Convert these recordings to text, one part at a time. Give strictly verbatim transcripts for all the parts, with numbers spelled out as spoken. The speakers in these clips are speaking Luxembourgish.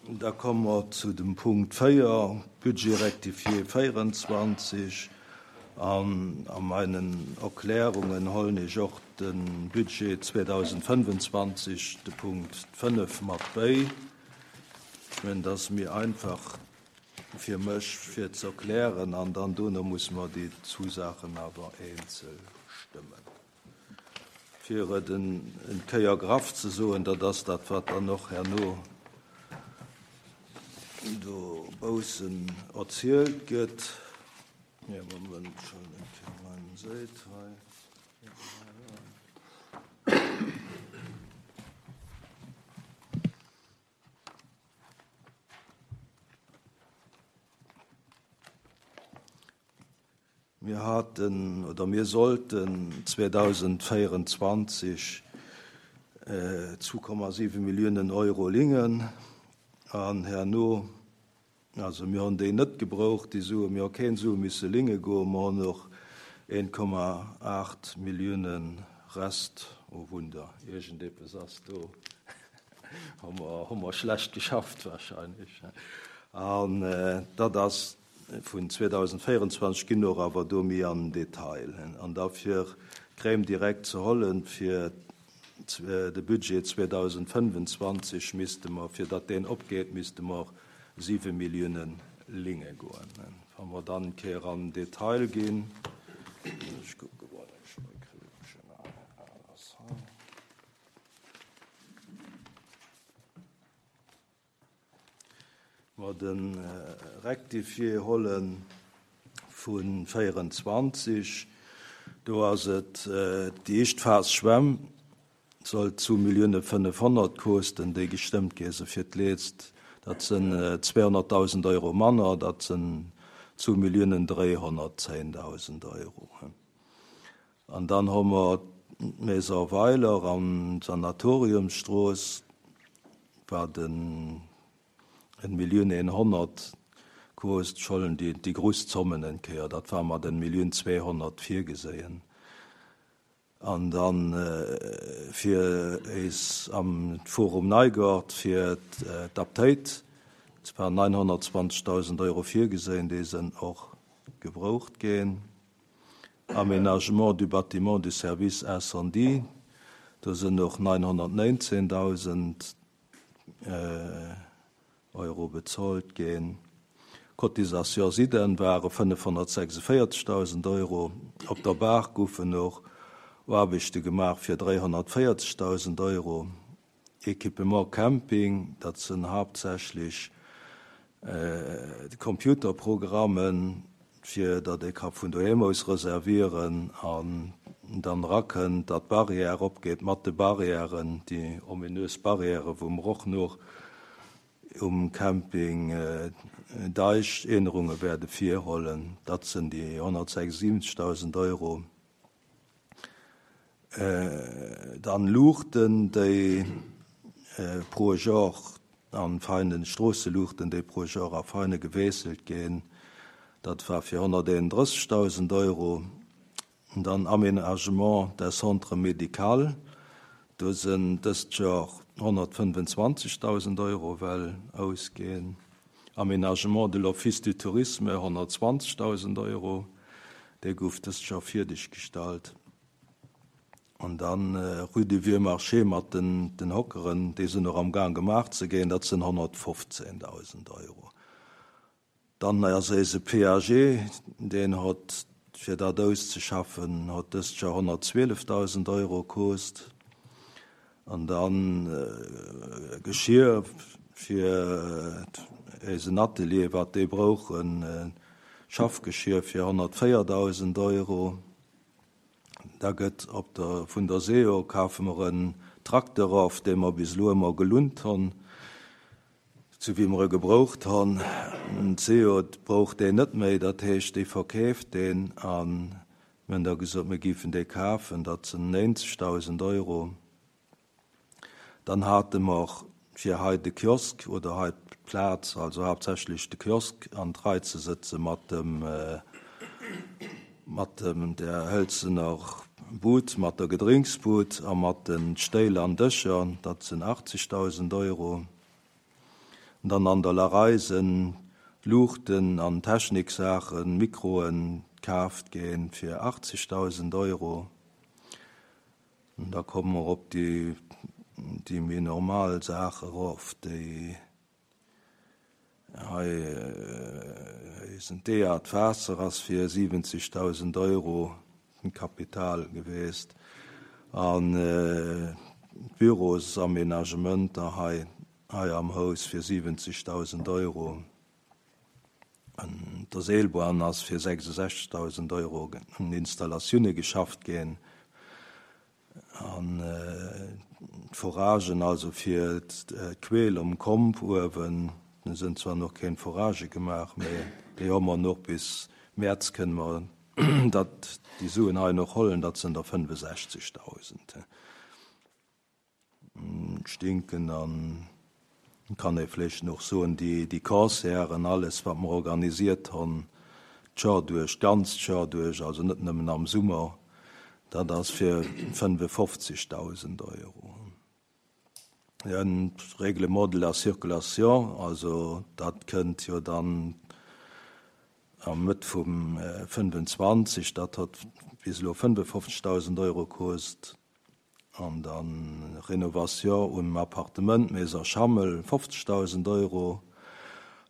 Da komme mer zu dem Punkt véier, Budget rectifié véierenzwanzeg. An a meinen Erklärungen hollen ech och de Budget zweedausendfënnefenzwanzeg, de Punkt fënnef, mat béi. Ech mengen, dat ass méi einfach fir mech fir ze erklären, an dann dono musse mer déi zwou Saachen awer eenzel stëmmen. Fir et en Kéier graff ze soen, dat ass dat, wat dann och herno do baussen erzielt gëtt. Ja, Moment, schon eng Kéier meinen Séit hei. Mir haten oder mir sollten zweedausendvéierenzwanzeg zwou Komma siwe Milliounen Euro lingen an herno, also mir hunn déi net gebraucht, déi Suen, mir hu keng Sue misse linge goen, mir hunn och een Komma aacht Milliounen Rest, oh Wunder, iergendeppes ass do, hu mer, hu mer schlecht geschafft wahrscheinlech. An dat ass vun zweedausendvéierenzwanzeg, ginn och awer do méi an den Detail. An da fir d'Crème direkt ze hollen, fir de Budget zweedausendfënnefenzwanzeg misste mer, fir datt deen opgeet, misste mer siwe Milliounen linge goen. Wa mer dann eng Kéier an den Detail ginn, ech kucke mol, ech meng Krippchen ass hei. Mer de Rectifié holle vu véierenzwanzeg, do ass et déi éischt Phas Schwämm, soll zwou Millioune fënnefhonnert kosten, déi gestëmmt gi se fir d'Leetzt. Dat sinn zweehonnertdausend Euro manner, dat sinn zwou Milliounen dréihonnertzéndausend Euro. An dann hu mer d'Maison Weiler an d'Sanatoriumsstrooss, wat en Millioun eenhonnert kost, schollen déi, déi grouss Zommen eng Kéier, dat war mat en Millioun zweehonnert virgeséien. An dann fir eis am Forum Neigort fir d'Aptéit, et waren neunhonnertzwanzegtausend Euro virgeséien, déi sinn och gebraucht ginn. Aménagement du bâtiment du service incendie, do sinn och neunhonnertneunzehntausend Euro bezolt ginn. Cotisation Siden ware fënnefhonnertsechsundvéierzegtausend Euro. Op der Baach goufen och Aarbechte gemaach fir dräihonnertvéierzegtausend Euro. Equipement Camping, dat sinn haaptsächlech Computerprogrammen, fir datt ee ka vun doheem aus reservieren an dann erakënnt, datt d'Barrière opgeet mat de Barrièren, déi ominös Barrièren, wou mer och nach um Camping Deich Ännerunge wäerte virhollen. Dat sinn déi honnertsechsundsiwwenzegtausend Euro. Dann Luuchten, déi pro Joer an feinen Stroosseluuchten, déi pro Joer a feine gewiesselt ginn. Dat war fir honnerteenunddrëssigtausend Euro. Dann Aménagement des Centres médicaux, do sinn dëst Joer honnertfënnefenzwanzegtausend Euro well ausginn. Aménagement de l'Office du Tourisme, honnertzwanzegtausend Euro, dee gouf dëst Joer fierdeg gestallt. An dann Rue du Vieux Marché mat den, den Hockeren, déi sinn och am Gang gemaach ze ginn, dat sinn honnertfofzehntausend Euro. Dann ass eise P A G, deen huet, fir dat auszeschaffen, huet dëst Joer honnertzwieleftausend Euro kost. An dann äh, Geschirr fir eisen Atelier, wat déi brauchen, äh, Schaffgeschirr fir honnertvéierdausend Euro. Da gëtt op der, vun der S E O kafe mer en Trakter of, dee mer bis elo ëmmer gelunt hunn, sou wéi mer e gebraucht hunn. D'S E O braucht deen net méi, dat heescht, déi verkeeft deen, an mir hunn da gesot, mir géifen dee kafen, dat sinn néinzegdausend Euro. Dann hate mer fir hei de Kiosk oder hei d'Plaz, also haaptsächlech de Kiosk an d'Rei ze sëtze mat dem, mat dem der hëlzener Bud, mat der Gedrénksbud a mat den Stéil an Dëscher, dat sinn achtzegdausend Euro. Dann an der Larei sinn Luuchten an Techniksaachen, Mikroen kaaft ginn fir achtzegdausend Euro. An da komme mer op déi, déi méi normal Saache erof, déi hei eisen D A d'Waasser ass fir siwwenzegdausend Euro den Kapital geweest an d'Bürosaménagementer hei hei am Haus fir siwwenzegdausend Euro. An der Seelbahn ass fir sechsundsechzegdausend Euro un Installatioune geschafft ginn. An d'Foragen, also fir d'Queel um Komp uewen, do sinn zwar nach keng Foragë gemaach, mee déi hu mer nach bis Mäerz kënne mer dat déi Suen hei nach hollen, dat sinn der fënnefosechzegdausend. Ech denken, an kann ee vläicht nach soen, déi déi Concerten, alles wat mer organisiert hunn, d'Joer duerch, d'ganzt Joer duerch, also net nëmmen am Summer, dat ass fir fënnefofzegdausend Euro. En Règlement de la circulation, also dat kënnt jo dann am Mëtt vum fënnefenzwanzeg, dat huet bis elo fënnefofzegdausend Euro kost. An dann Renovation um Appartement Maison Schammel, fofzegdausend Euro.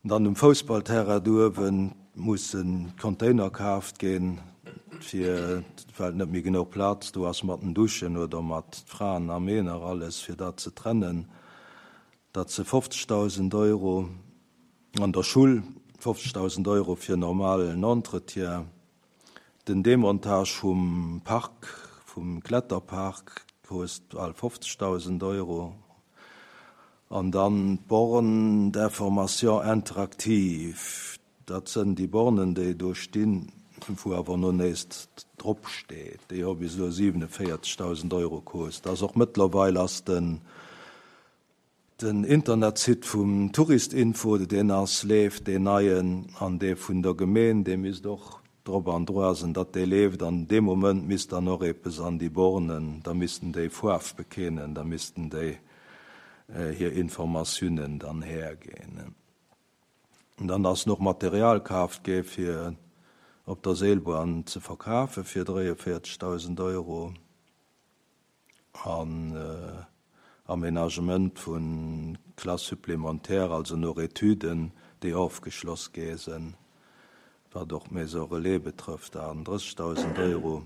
An dann um Foussballterrain do uewe musse Container kaaft ginn, fir well net méi genuch Plaz do ass mat den Duschen oder mat Fraen a Männer, alles, fir dat ze trennen. Dat si fofzegdausend Euro. An der Schull fofzegdausend Euro fir normalen Entretien. Den Demontage vum Park, vum Kletterpark, kost bal fofzegdausend Euro. An dann d'Borne d'information interactive, dat sënn déi Bornen, déi do stinn, wou awer no näischt drop steet. Déi hu bis elo siwenevéierzegdausend Euro kost. Dat ass och mëttlerweil ass den den Internetsite vum Touristinfo, deen ass leeft, deen neien, an dee vun der Gemeen, dee misst och drop an droa sinn, datt dee leeft. An dee Moment misst dann och eppes an déi Bornen, da missten déi Faarf bekennen, da missten déi hir Informatiounen dann herginn. An dann ass nach Material kaaft gi fir op der Seelbahn ze verkafe fir dräienvéierzegdausend Euro an Aménagement vu Classe supplémentaire, also no Etüden, déi ofgeschloss gi sinn, wat och Maison Relais betrëfft, achtendrëssegdausend Euro.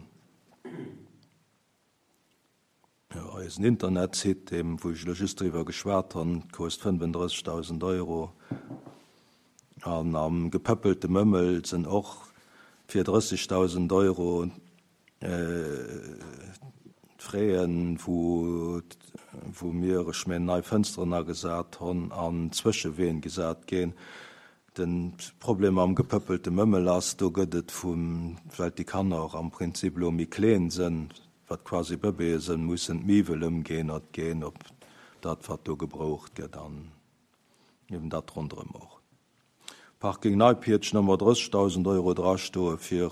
Jo, eisen Internetsite, deem wou ech elo just driwwer geschwat hunn, kost fënnefendrëssegdausend Euro. An am gepëppelte Mëmmel sinn och fir drëssegdausend Euro d'Fraien, wou wou mir, ech mengen, nei Fënsteren agesat hunn an Zwëscheween gesat ginn. De Problem am gepëppelte Mëmmel ass, do gëtt et vum, well déi Kanner am Prinzip elo méi kleen sinn, wat quasi Bëbeeë sinn, mussen d'Miwwel ëmgeännert ginn op dat, wat do gebroucht gëtt an eben dat ronderëm och. Parking Neipiertsch hu mer drëssegdausend Euro drastoe fir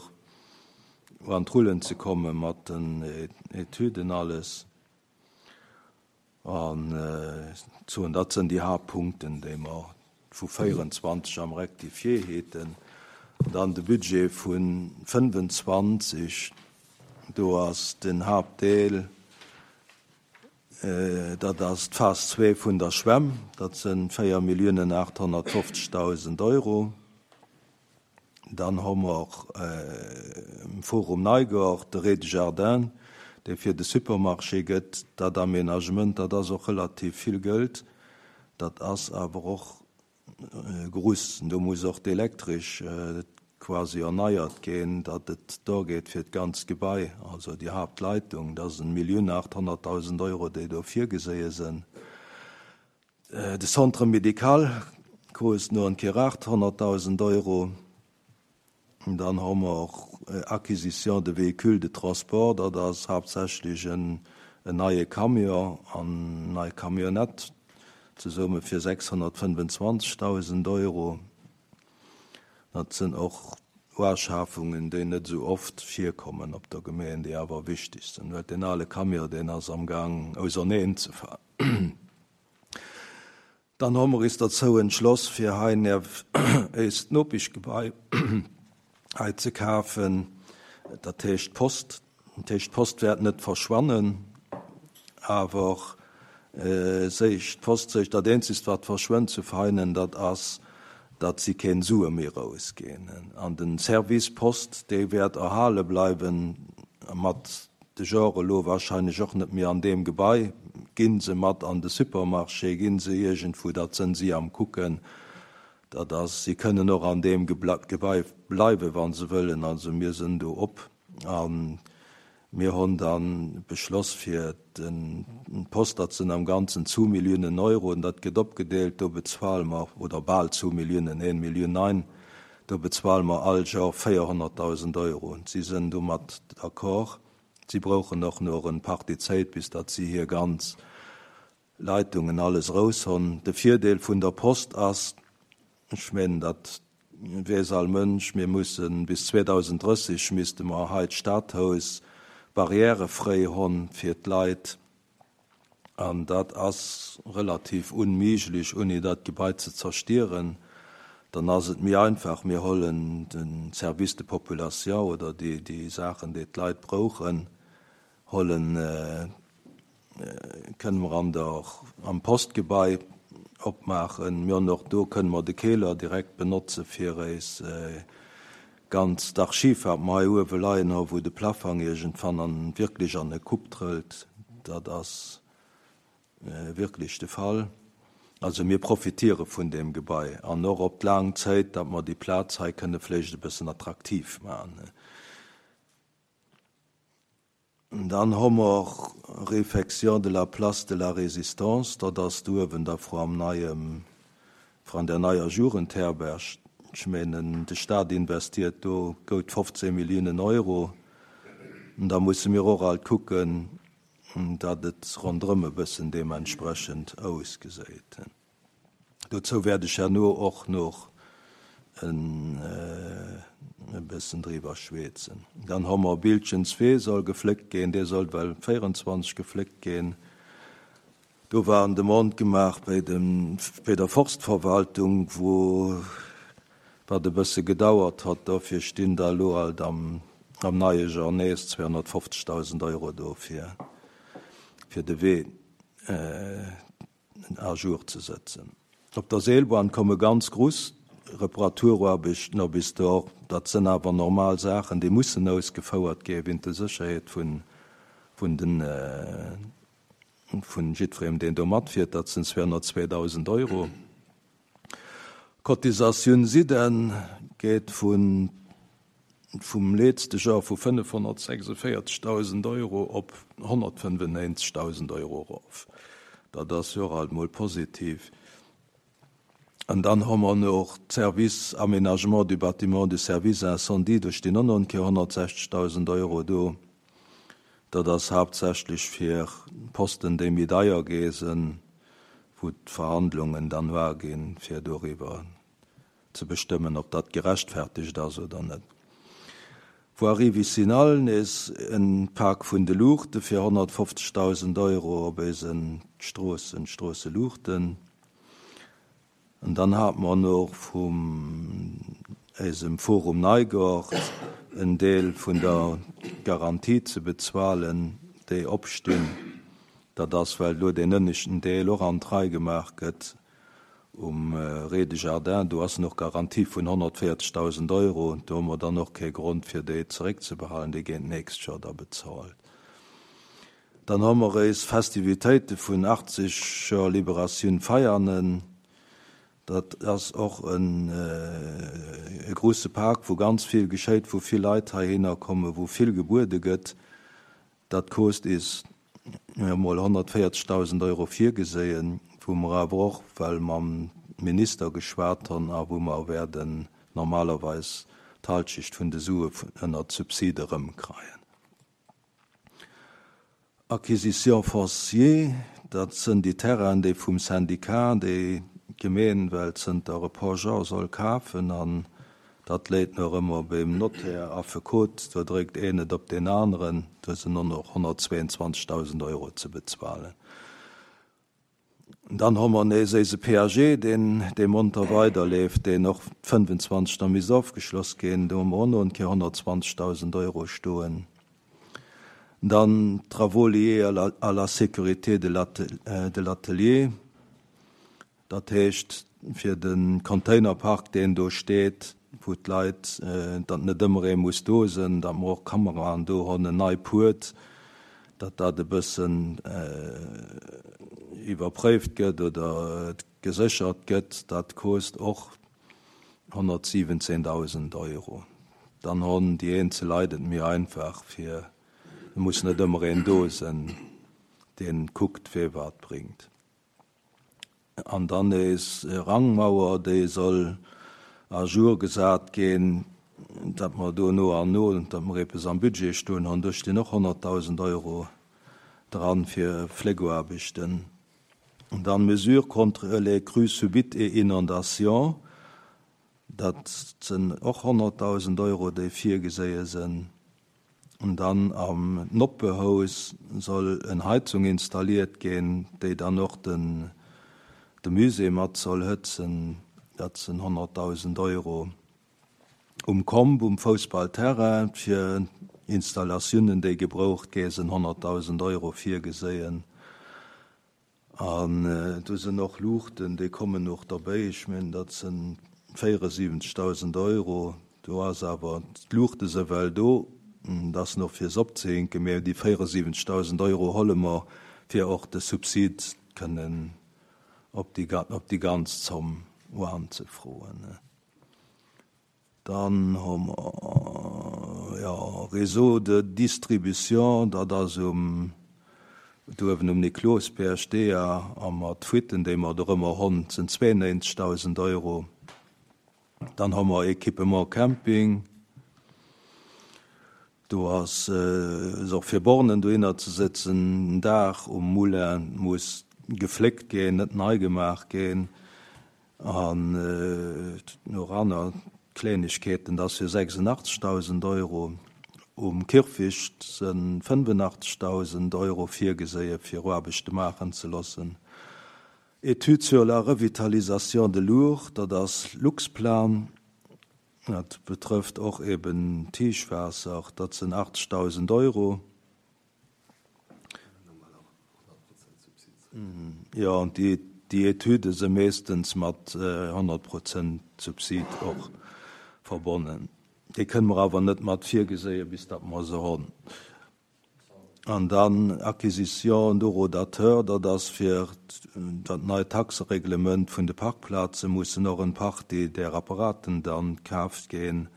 an d'Rullen ze komme mat den Etüden alles. An soen, dat sinn déi Haaptpunkten, déi mer vu véierenzwanzeg am Rectifié heten. Dann de Budget vu fënnefenzwanzeg, do ass den Haaptdeel, dat ass d'Phas zwee vun der Schwämm, dat sinn véier Milliounen aathonnertfofzegdausend Euro. Dann hu mer um Forum Neigaart de Rez-de-jardin, dee fir de Supermarché gëtt. Dat Aménagement, dat ass och relativ vill Geld. Dat ass awer och gruss. Do muss och d'Elektresch quasi erneiert ginn, datt et do geet fir d'ganzt Gebai, also déi Haaptleitung. Dat ass eng Millioun aathonnertdausend Euro, déi do virgeséie sinn. De Centre médical kost no en Kéier aathonnertdausend Euro. Dann hu mer och Acquisition de véhicules de transport, dat ass haaptsächlech en en neie Camion an nei Camionnette, zesumme fir sechshonnertfënnefenzwanzegdausend Euro. Dat sinn och Uschafungen, déi net esou oft virkommen op der Gemeng, déi awer wichteg sinn. Well deen ale Camion, deen ass am Gang auserneen ze falen. Dann hu mer is derzou entschloss, fir hei éist Nopeschgebai hei ze kafen, dat heescht d'Post. Dat heescht, d'Post wäert net verschwannen, awer séich d'Post séich dat eenzegst wat verschwënnt zu Veinen, dat ass, datt si keen Sue méi rausginn. An den Service Post, dee wäert erhale bleiwen, mat de Jore lo wahrscheinlech och net méi an deem Gebai, ginn se mat an de Supermarché, ginn se iergendwou, dat sënn si am kucken, dat ass, si kënnen och an deem Gebai bleiwen, wann se wëllen, also mir sënn do op. An mir hunn dann beschloss fir den Post, dat sënn am Ganzen zwou Milliounen Euro, an dat gëtt opgedeelt, do bezuele mer, oder bal zwou Milliounen, een Millioun nine, do bezuele mer all Joer véierhonnertdausend Euro. Und si sënn domat d'accord. Si brauchen och nach en Partie Zäit, bis datt si hir ganz Leitungen alles raus hunn. De Virdeel vun der Post ass, ech mengen, dat weess all Mënsch, mir mussen bis zweedausenddrësseg misste mer hei d'Stadhaus barrièrefräi hunn fir d'Leit, an dat ass relativ unméiglech, ouni dat Gebai ze zerstieren. Dann ass et méi einfach, mir hollen den Service de population oder déi, déi Saachen, déi d'Leit brauchen, hollen, kënne mer an der, am Postgebai opmaachen. Mir hunn och do, kënne mer de Keler direkt benotze fir eis ganzt Archiv, wat mer hei uewe leien hu, wou de Plafang iergendwann an, wierklech an e Kupp trëllt. Dat ass wierklech de Fall. Also mir profitiere vun deem Gebai an och op d'laang Zäit, datt mer déi Plaz hei kënne vläicht e bëssen attraktiv maachen. Dann hu mer Réfection de la place de la Résistance, dat ass do uewen da vru am neiem, vran der neier Jugendherberg. Ech mengen, de Staat investiert do goud fofzéng Milliounen Euro. An da musse mir och alt kucken, datt et ronderëm e bëssen deementsprechend ausgeséit. Dozou wäert ech herno och noch en e bëssen driwwer schwätzen. Dann hu mer Bildchen zwee soll gefléckt ginn, dee soll well véierundzwanzeg gefléckt ginn. Do war en Demande gemaach bei dem, bei der Forstverwaltung, wou wat e bësse gedauert hat, dofir stinn da elo alt am, am neie Joer nees zweehonnertfofzegdausend Euro do fir, fir de Wee à jour ze setzen. Op der Seelbahn komme ganz gruss Reparaturaarbechten op is do. Dat sënn awer normal Saachen, déi mussen ausgefouert gi wéint der Sécherheet vun, vun den, vun jiddwerem, deen do matfiert. Dat sinn zweehonnertzweedausend Euro. Cotisatioun SIDEN geet vun, vum letzte Joer vu fënnefhonnertsechsundvéierzegdausend Euro op honnertfënnefundneunzegdausend Euro erof. Dat ass jo och alt mol positiv. An dann hu mer noch d'Service Aménagement du bâtiment du service incendie, do stinn och nach eng Kéier honnertsechzegdausend Euro do. Dat ass haaptsächlech fir Posten, déi méi deier gi sinn, wou d'Verhandlungen dann war ginn, fir doriwwer ze bestëmmen, ob dat gerechtfertigt ass oder net. Voirie vicinale nees en Pak vun de Luuchte fir honnertfofzegdausend Euro op eisen Stroossen, Stroosseluuchten. An dann hat mer noch vum eisem Forum Neigort en Deel vun der Garantie ze bezuelen, déi opstinn. Dat ass, well do deen ënneschten Deel och an d'Rei gemaach gëtt um Rez-de-jardin. Do ass noch Garantie vun honnertvéierzegdausend Euro. Do hu mer dann och kee Grond, fir déi zeréckzebehalen. Déi ginn d'nächst Joer da bezahlt. Dann hu mer eis Festivitéite vun achtzeg Joer Liberatioun Veianen. Dat ass och en, e grouse Pak, wou ganz vill geschéit, wou vill Leit heihinner kommen, wou vill gebuede gëtt. Dat kost is mol honnertvéierzegdausend Euro virgeséien, wou mer awer och well mam Minister geschwat hunn a wou mer werden normalerweis d'Halschicht vun de Sue ënner Subside erëmkreien. Acquisition foncière, dat sënn déi Terrainen, déi vum Syndikat, déi d'Gemeen well zënter e puer Joer soll kafen, an dat léit nach ëmmer beim Notaire, Affekot, do dréckt een et op deen aneren, do sinn och nach honnertzweeundzwanzegdausend Euro ze bezuelen. Dann hu mer nees eise P A G, deen dee monter weiderleeft, deen och fënnfenzwanzeg da misst ofgeschloss ginn. Do hu mer och nach eng Kéier honnertzwanzegdausend Euro stoen. Dann travaux liés à la, à la sécurité de l'atelier, dat heescht fir de Containerpark, deen do steet, wou d'Leit, datt net ëmmer ee muss do sinn, datt mer och Kameraen do hunn, en nei Puert, datt dat e bëssen iwwerpréift gëtt oder geséchert gëtt, dat kost och honnertsiwwenzehndausend Euro. Dann hunn déi eenzel Leit et méi einfach, fir muss net ëmmer een do sinn, deen kuckt, wie wat bréngt. An dann is Rangmauer, déi soll à jour gesat ginn, datt mer do no an no, datt mer eppes am Budget stoen hunn, do stinn och honnertdausend Euro dran fir Fleegeaarbechten. Und dann Mesures contre les crues subites et inondations, dat sinn och honnertdausend Euro, déi virgeséie sinn. Und dann am Noppehaus soll eng Heizung installiert ginn, déi dann och den de Musée mat soll hëtzen, dat sinn honnertdausend Euro. Um Komb, um Foussballterrain, fir Installatiounen, déi gebraucht gi sinn honnertdausend Euro virgeséien. An äh, do sinn och Luuchten, déi kommen och derbäi, ech mengen, dat sinn véieresiwwenzegdausend Euro. Do ass awer d'Luuchte si well do, dat ass nach fir opzehänken, mee déi véieresiwwenzegdausend Euro hole mer, fir och de Subsid kënnen op déi, op déi ganz Zomm unzefroen. Dann hu mer, ja, Réseau de distribution, dat ass um do uewen um Niklosbierg D A a mat Fuitten, déi mer do ëmmer hunn, sinn zwéiennéinzegdausend Euro. Dann hu mer Équipement Camping. Do ass äh, och fir Bornen dohinner ze setzen, Daach um Moulin muss gefléckt ginn, net nei gemaach ginn. An äh, nach aner Klengegkeeten, dat fir sechsundachtzegdausend Euro. Um Kierfecht sinn fënnefundachtzegdausend Euro virgeséie fir Aarbechte maachen ze loossen. Étude sur la revitalisation de l'Our, dat ass Luxplan, dat betrëfft och eben Tiefwaasser, dat sinn achtzegdausend Euro. Ja, an déi, déi Etüde si meeschtens mat äh, honnert Prozent Subsid och verbonnen. Déi kënne mer awer net mat virgeséie bis dat mer se hunn. An dann Acquisition d'horodateur, dat ass fir dat neit Taxereglement vun de Parkplaze mussen och eng Partie där Apparaten dann kaaft ginn,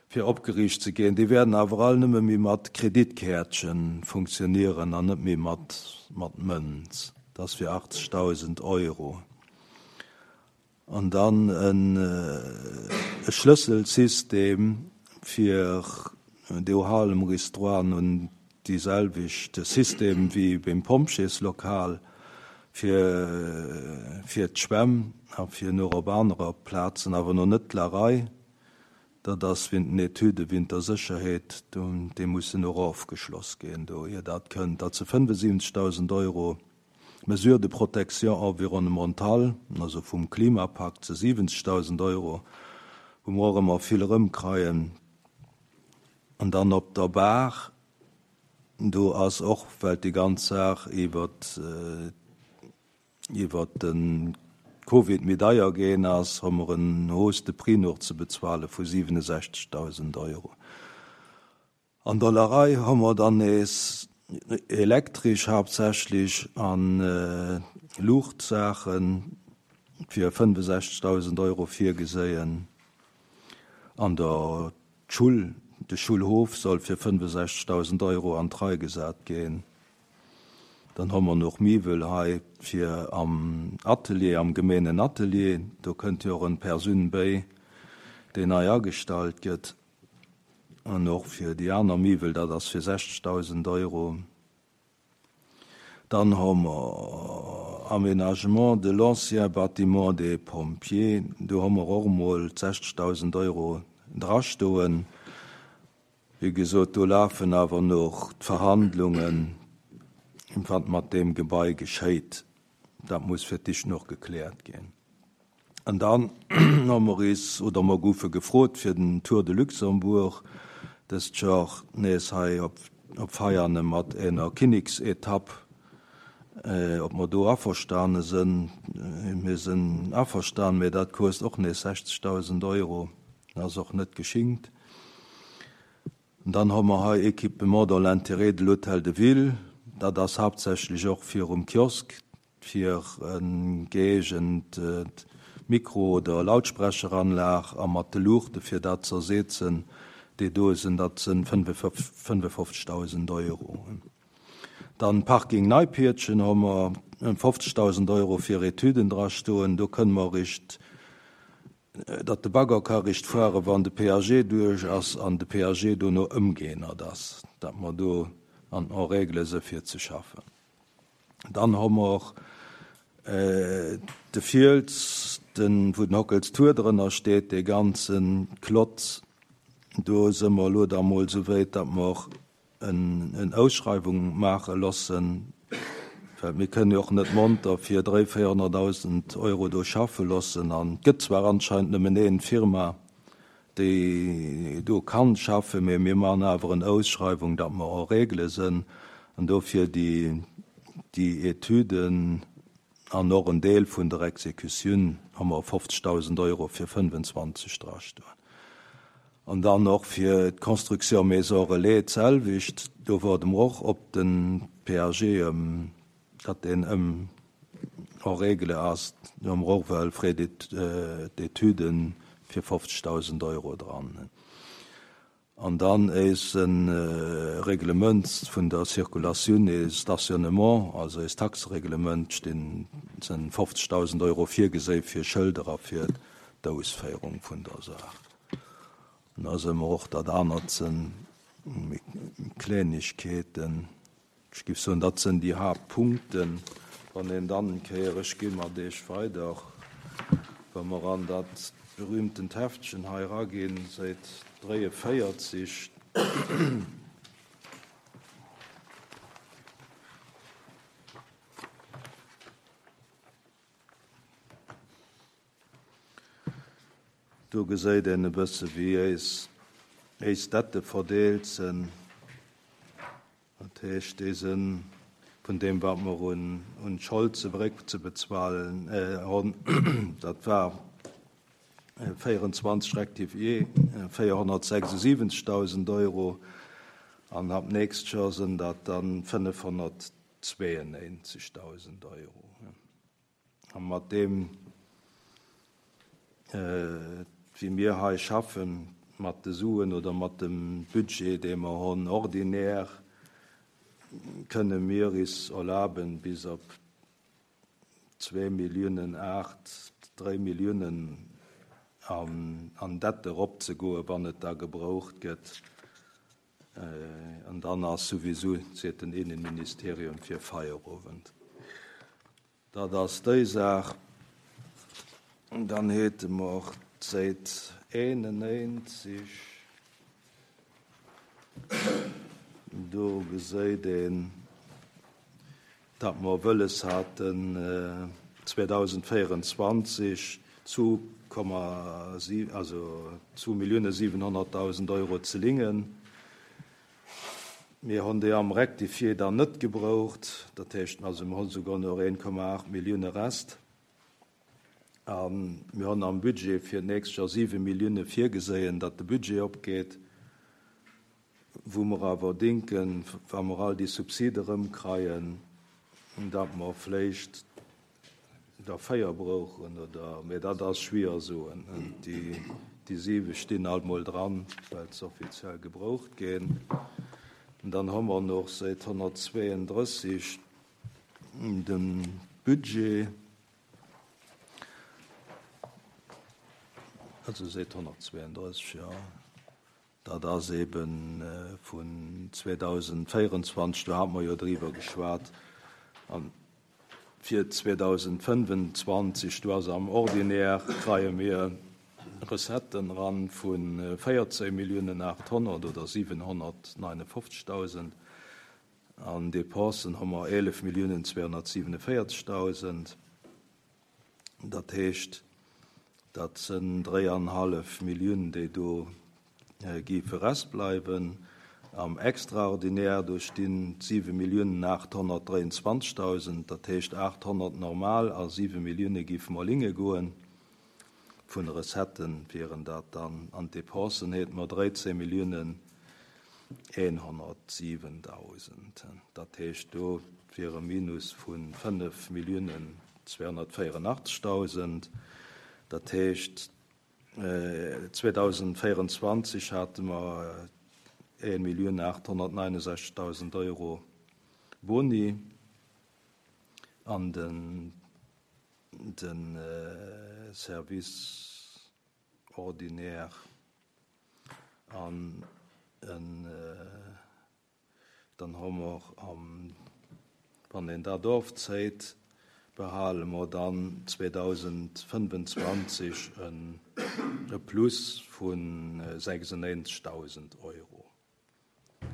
fir opgeriicht ze ginn. Déi wäerten awer all nëmme méi mat Kreditkäertche funktionéieren an net méi mat, mat Mënz. Dat ass fir achtzegdausend Euro. An dann en äh, Schlësselsystem fir de Hal Maurice Droit un déi selwecht System wéi beim Pompjeeslokal fir fir d'Schwämm a fir nach op anerer Plazen, awer nach net d'Larei. Dat ass wéint den Etüde wéint der Sécherheet, déi mussen och ofgeschloss ginn, do ier dat kënnt. Dat si fënnefundsiwwenzegdausend Euro. Mesures de protection environnementale, also vum Klimapakt zu siwwenzegdausend Euro, wou mer och ëmmer vill erëmkréien. An dann op der Baach, do ass och, well déi ganz Saach iwwer äh, iwwer den Covid méi deier ginn ass, hu mer en Hausse de prix nach ze bezuele vu siwenundsechzegdausend Euro. An der Larei hu mer dann nees elektresch haaptsächlech an äh, Luuchtsaachen fir fënnefundesechzegdausend Euro virgeséien. An der Schull, de Schoulhof soll fir fënnefundesechzegdausend Euro an d'Rei gesat ginn. Dann hu mer nach Miwwel hei fir am Atelier, am Gemengenatelier, do kënnt jo och eng Persoun bäi, déi nei agestallt gëtt. An och fir déi aner Miwwel, dat ass fir sechzegdausend Euro. Dann hu mer Aménagement de l'ancien bâtiment des pompiers, do hu mer och mol sechzegdausend Euro drastoen. Wéi gesot, do lafen awer nach d'Verhandlungen, wat mat deem Gebai geschéit. Dat muss fir d'éischt nach gekläert ginn. An dann hu mer is oder mer goufe gefrot fir den Tour de Luxembourg dëst Joer nees hei op op Veiane mat enger Kinneksetapp, äh, ob mer do averstane sinn. Mir sinn averstan, mee dat kost och nees sechzegdausend Euro, dat ass och net geschinkt. An dann hu mer hei Équipement dans l'intérêt de l'Hôtel de Ville, dat ass haaptsächlech och virum Kiosk fir eng gëeegent Mikro oder Lautsprecheranlag a mat de Luuchte fir dat ze ersetzen, déi do sinn, dat sinn fënnefofzegdausend Euro. Dann Parking Neipiertchen hu mer fofzegdausend Euro fir Etüden dra stoen, do kënne mer eréischt, datt de Bagger ka eréischt fuere wann de P A G duerch ass an de P A G dono ëmgeännert ass, datt mer do an en règle se fir ze schaffen. Dann hu mer de Fiels, den, wou den Hockels Tour drënner steet, dee ganze Klotz, do si mer elo da mol esou wéit, datt mer en, en Ausschreiwung maache loossen, well mir kënnen jo och net monter fir dräi véierhonnertdausend Euro do schaffe loossen. An et gëtt zwar anscheinend nëmmen een Firma, déi do kann schaffen, mee mir maachen awer en Ausschreiwung, datt mer en règle sinn, an dofir déi, déi Etüden an och en Deel vun der Exekutioun hu mer fofzegdausend Euro fir fënnfenzwanzeg drastoen. An dann och fir d'Construction Maison Relais d'selwecht, do waarde mer och op den P A G, ëm, datt deen ëm en règle ass, do hu mer och well Frais d'études fir fofzegdausend Euro dran. An dann ass e Reglement vun der Circulatioun et Stationnement, also eist Taxereglement, stinn sinn fofzegdausend Euro virgesé fir Schëlder a fir d'Ausféierung vun der Saach. An da si mer och dat anert sinn Klengegkeeten. Ech géif soen, dat sinn déi Haaptpunkten. Wann een dann kéier, ech gi mat Iech weider, wa mer an dat berühmtent Heftchen hei raginn, Säit dräienvéierzeg. Do geséit een e bësse wéi eis eis Dette verdeelt sinn. Dat heescht, déi sinn vun deem wat mer un, un Schold zeréck ze bezuelen äh, hunn, dat war véierundzwanzeg rectifié véierhonnertsechsundsiwwenzegdausend Euro an ab nächst Joer sinn dat dann fënnefhonnertzweeënnéinzegdausend Euro. A mat deem, äh, wéi mir hei schaffen, mat de Suen oder mat dem Budget, dee mer hunn ordinär, kënne mir is erlaben, bis op zwee Milliounen aacht, dräi Milliounen an, an Dette eropzegoen, wann et da gebraucht gëtt. Äh, an dann ass souwisou, seet den Innenministerium, fir Feierowend. Dat ass déi Saach. Dann hate mer d'Säit eenennéinzeg. Do geséit een, datt mer wëlles haten äh, zweedausendvéierundzwanzeg zwou Komma siwen, also zwou Millioune siwenhonnertdausend Euro ze lingen. Mir hunn déi am Rectifié dann net gebraucht, dat heescht also mir hunn souguer nach een Komma aacht Millioune Rest. A mir hunn am Budget fir d'nächst Joer siwe Millioune virgeséien, datt de Budget opgeet, wou mer awer denken, wa mer all déi Subside erëmkreien, datt mer vläicht der véier brauchen oder, mee dat ass schwierig soen. Déi, déi siwe stinn alt mol dran, well se offiziell gebraucht ginn. An dann hu mer nach Säit honnertzweeëndrësseg de Budget, also Säit honnertzweeëndrësseg, jo. Dat ass eben vun zweedausendvéierundzwanzeg, do hate mer jo driwwer geschwat. An fir zweedausendfënnfenzwanzeg, do ass am Ordinaire, kreie mir Recetten ran vu véierzéng Milliounen aathonnert oder siwenhonnertneunefofzegdausend. An Dépensen hu mer eelef Milliounen zweehonnertsiewenevéierzegdausend. Dat heescht, dat sënn dréianhallef Milliounen, déi do géife rest bleiwen. Am Extraordinaire, do stinn siwe Milliounen aathonnertdréianzwanzegdausend, dat heescht aathonnert normal a siwe Millioune géife mer linge goen. Vun de Recettë wieren dat dann. An d'Dépensen hate mer dréizéng Milliounen eenhonnertsiwendausend. Dat heescht, do wier e Minus vu fënnef Milliounen zweehonnertvéierunachtzegdausend. Dat heescht, zweedausendvéierundzwanzeg hate mer ee Millioun aathonnertneunundsechzegdausend Euro Boni an den de Service ordinaire an en dann hu mer am, wann een dat ofzéit, behale mer dann zweedausendfënfenzwanzeg e Plus vu sechsundnéinzegdausend Euro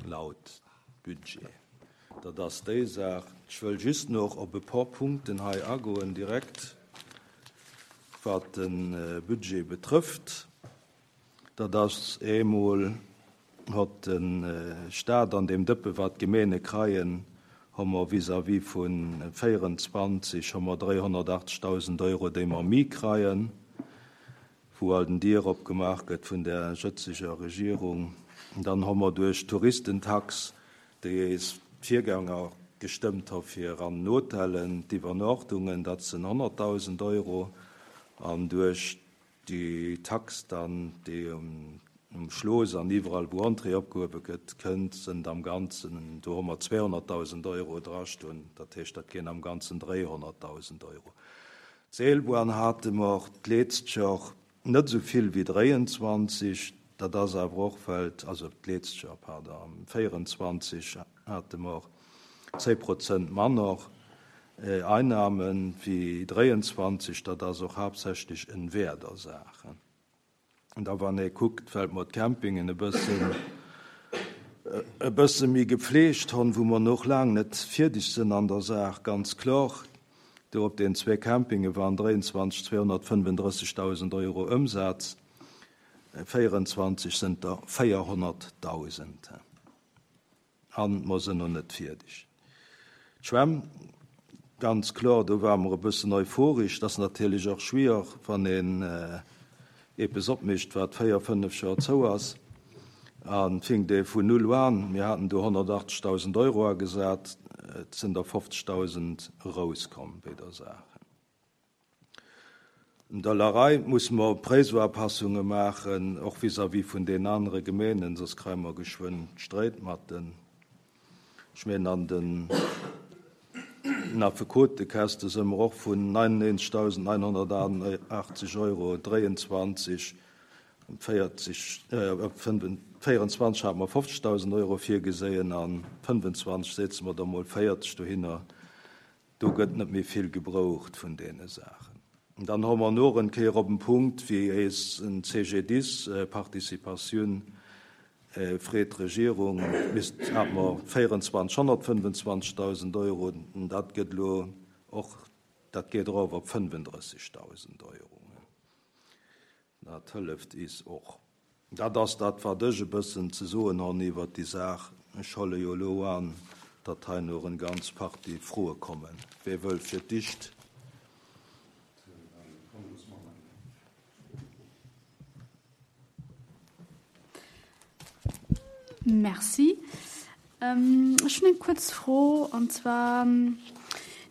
laut Budget. Dat ass déi Saach. Ech wëll just nach op e puer Punkten hei agoen, direkt, wat de Budget betrëfft. Dat ass eemol, hott de Staat an deem Dëppe wat d'Gemeene kreien, hu mer vis-à-vis vu véierundzwanzeg hu mer dréihonnertachtzegdausend Euro, déi mer méi kreien, wou all den Dier opgemaach gëtt vun der jëtzeger Regierung. Dann hu mer duerch d'Touristentax, déi eis Virgänger gestëmmt hu fir an Hotellen d'Iwwernuechtungen, dat sinn honnertdausend Euro, an duerch déi Tax dann, déi um Schloss an iwwerall wou Entrée opgehuewe gëtt, kënnt, sënn am Ganzen, do hu mer zweehonnertdausend Euro drastoen, dat heescht, dat ginn am Ganzen dréihonnertdausend Euro. D'Seelbahn hate mer d'letzt Joer net esou vill wéi dréianzwanzeg, dat ass awer och, well, also d'letzt Joer, pardon, am véierundzwanzeg hate mer zéng Prozent manner Einnahmen wéi dréianzwanzeg, dat ass och haaptsächlech en Wäerdersache. An da wann ee kuckt, well mer d'Campingen e bëssen e bësse méi gepflegt hunn, wou mer noch laang net fierdeg sinn an der Saach, ganz kloer, do op den zwee Campinge waren dréianzwanzeg zweehonnertfënnefundrëssigdausend Euro Ëmsaz, véierundzwanzeg sënn der véierhonnertdausend. An mer sinn noch net fierdeg. D'Schwämm, ganz kloer, do war mer e bëssen euphorisch, dat ass natierlech och schwierig, wann een eppes opmischt, wat véier, fënnef Joer zou ass. An fing dee vun null an. Mir haten do honnertachtzegdausend Euro agesat, et sinn der fofzegdausend rauskomm bei der Sache. In der Larei muss mer Präisupassungen machen, och vis-à-vis vun den anderen Gemeenen, sonst kréie mer geschwënn Sträit mat den. Ech meen an den Affekotekäste si mer och vun neunundneunzegdausendneunhunnertachtundachtzeg Euro dréiandzwanzeg, véierzeg, äh, véierundzwanzeg hat mer fofzegdausend Euro virgesehen, an fënnefenzwanzeg setze mer da mol véierzeg dohinner. Do gëtt net méi vill gebraucht vun deene Saachen. Und dann hu mer noch en Kéier op den Punkt, wéi eis en C G D I S, äh, Participatioun, äh, freet d'Regierung, misst, hat mer véierundzwanzeg honnertfënnefenzwanzegdausend Euro, und dat gëtt lo och, dat geet erof op fënnefundrëssigdausend Euro. Dat hëlleft is och. Dat ass dat, wat ech e bëssen ze soen hunn iwwer déi Saach. Ech huele jo lo an, datt hei noch eng ganz Partie Froe kommen. Wie wëll fir d'éischt? Merci. Ähm, ech hunn eng kuerz Fro, an zwar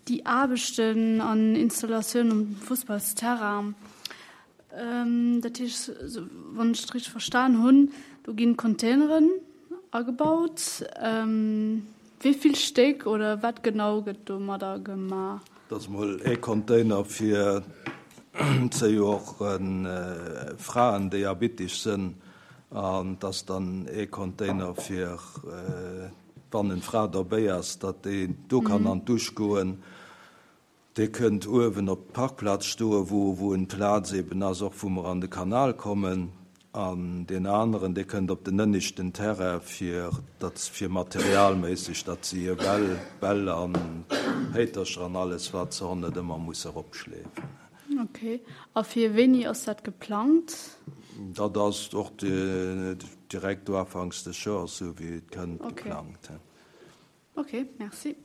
déi Aarbechten an Installatioun um Fussballsterrain. Ähm, dat heescht, wann ech et richteg verstan hunn, do ginn Containeren agebaut. Ähm, wéi vill Stéck oder wat genau gëtt domadder gemaach? Dat ass mol e Container fir zejoer äh, Fraen, déi abitteg sinn, an dat ass dann e Container fir äh, wann eng Fra dobäi ass, datt déi do kann an d'Dusch goen. Dee kënnt uewen op d'Parkplaz stoen, wou, wou en Plaz eben ass, och wou mer an de Kanal kommen. An deen aneren, dee kënnt op den ënneschten Terrain, fir datt fir materialméisseg, datt se hir Bäll, Bäll an Héitercher an alles, wat se honn, net ëmmer musse eropschleefen. Ok. A fir wéini ass dat geplangt? Dat ass och direkt do ufanks des Joers, esou wéi et kënnt, geplangt. Ok, merci.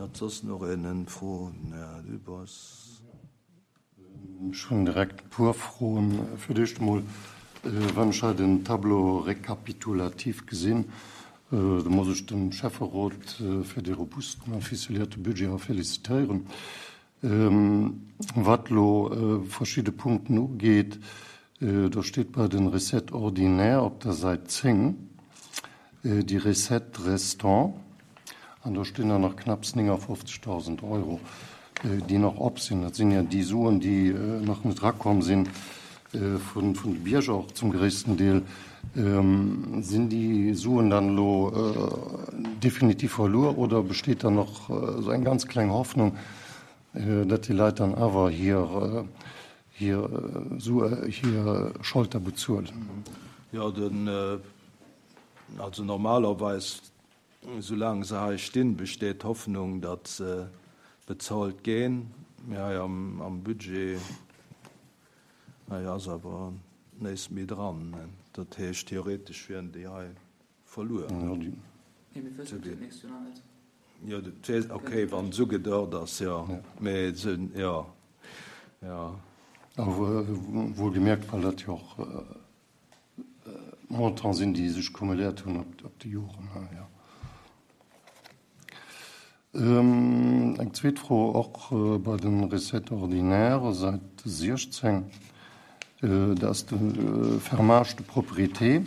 Hat soss nach een eng Fro? Den Här Dübbers. Ech hunn direkt e puer Froen. Fir d'éischt emol, wann ech hei den Tableau récapitulatif gesinn, do muss ech dem Schäfferot fir dee robusten a ficelierte Budget hei félicitéieren. Wat elo verschidde Punkten ugeet, do steet bei den Recettes ordinaires op der Säit zéng déi Recettes restantes, an do stinn der nach knapps néngafofzegdausend Euro, déi nach op sinn. Dat sinn jo déi Suen, déi nach net erakomm sinn vun de Bierger och zum gréissten Deel. Sinn déi Suen dann elo definitiv verluer oder besteet da nach esou eng ganz kleng Hoffnung, datt déi Leit dann awer hir hir Sue, hir Schold da bezuelen? Jo, den, also normalerweis, soulaang se hei stinn, besteet d'Hoffnung, datt se bezuelt ginn. Mee hei am, am Budget, hei ass awer näischt méi dran. Dat heescht, theoretesch wieren déi hei verluer. Jo, déi. Nee, mir wëssen et jo d'nächst Joer nach net. Jo, dat weess, okay, wann se ugedort ass, jo. Mee se, jo, jo. Awer wuelgemierkt, well dat jo och Montanten sinn, déi sech cumuléiert hunn op déi Joren, jo. Eng zweet Fro och bei de Recettes ordinaires, Säit siechzéng, dat ass de Fermage de propriété.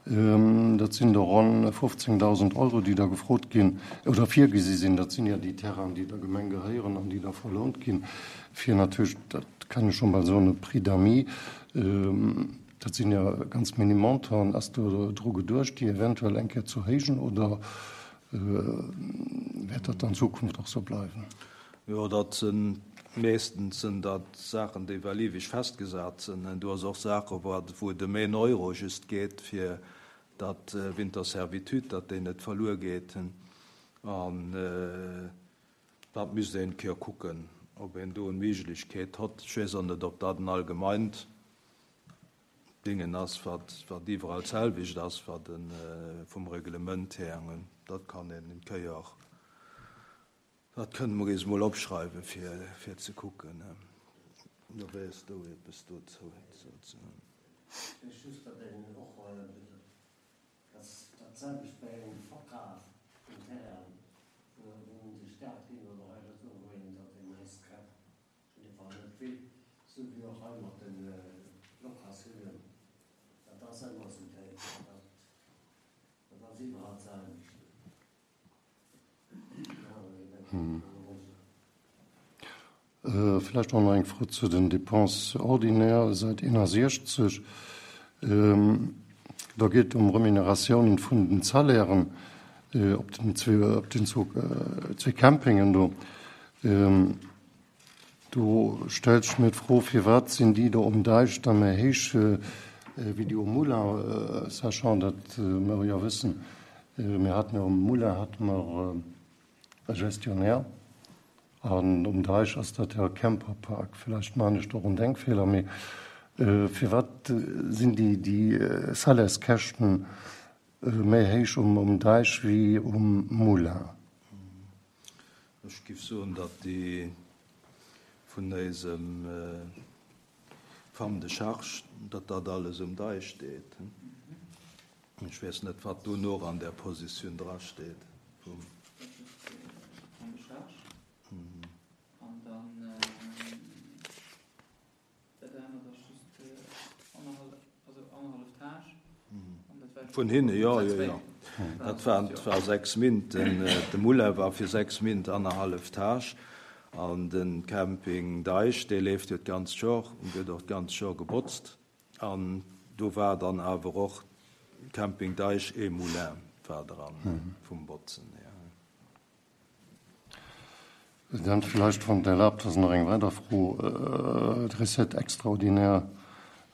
Dat sinn der ronn fofzéngdausend Euro, déi da gefrot ginn oder virgesi sinn. Dat sinn jo déi Terrainen, déi der Gemeng gehéieren an déi da verlount ginn, fir natierlech, dat kann ech scho bal soen, e Prix d'amis, dat sinn jo ganz minim Montanten. Ass do dru geduecht, déi eventuell eng Kéier ze erhéijen oder wäert dat an Zukunft och sou bleiwen? Jo, dat sinn meeschtens sinn dat Saachen, déi well eweg festgesat sinn. Do ass och Saache wou et ëm een Euro just geet, fir datt wéint der Servitude, datt déi net verluer geet. An dat misst een eng Kéier kucken, ob een do eng Méiglechkeet hott. Ech weess och net, ob dat en allgemeint Dingen ass, wat wat iwwerall d'selwecht ass, wat e vum Reglement här. Dat kann een eng Kéier, dat kënne mer eis emol opschreiwen, fir fir ze kucken. Da wéiers du eppes dozou ze soen. Ech just, datt een och, datt dat selwecht bei engem Verkaf vun Terrainen, wou un de Staat ginn oder hei oder do, wou een datt een neist Käpp Op jidde Fall net vill, sou wéi och hei mat de Locatiounen. Dat ass ëmmer esou, dat ass iwwerall d'selwecht. Vläicht och nach eng Fro zu den Dépenses ordinaires, Säit eenundsechzeg. Do geet et ëm Remuneratiounen vun den Salairen op den zwee Campingen do. Do stellt sech mir d'Fro, Firwat sinn déi do um Deich da méi héich wéi déi um Moulin, sachant datt mer jo wëssen, mir haten jo um Moulin hate mer e Gestionnaire an um Deich ass dat jo e Camperpark. Vläicht maachen ech do och en Denkfeeler, mee firwat sinn déi déi Salaires-Käschten méi héich um Deich wéi um Moulin? Ech giff soen, datt déi vun éisem Femme de charge, datt dat alles um Deich steet. Ech weess net, wat do nach an där Positioun drasteet. Femme de charge an dann. Dat anert ass just annerhallef, also annerhallef Tâche. An dat war Vun hinne, jo, jo, jo. Dat waren, dat war sechs Mint. Den, de Moulin war fir sechs Mint annerhallef Tâche. An de Camping Deich, dee leeft jo d'ganzt Jor an gëtt och d'ganzt Jor gebotzt. An do war dann awer och Camping Deich et Moulin war dran vum Botzen hier. Dann vläicht, wann et erlaabt ass, nach eng weider Fro. D'Recette extraordinaire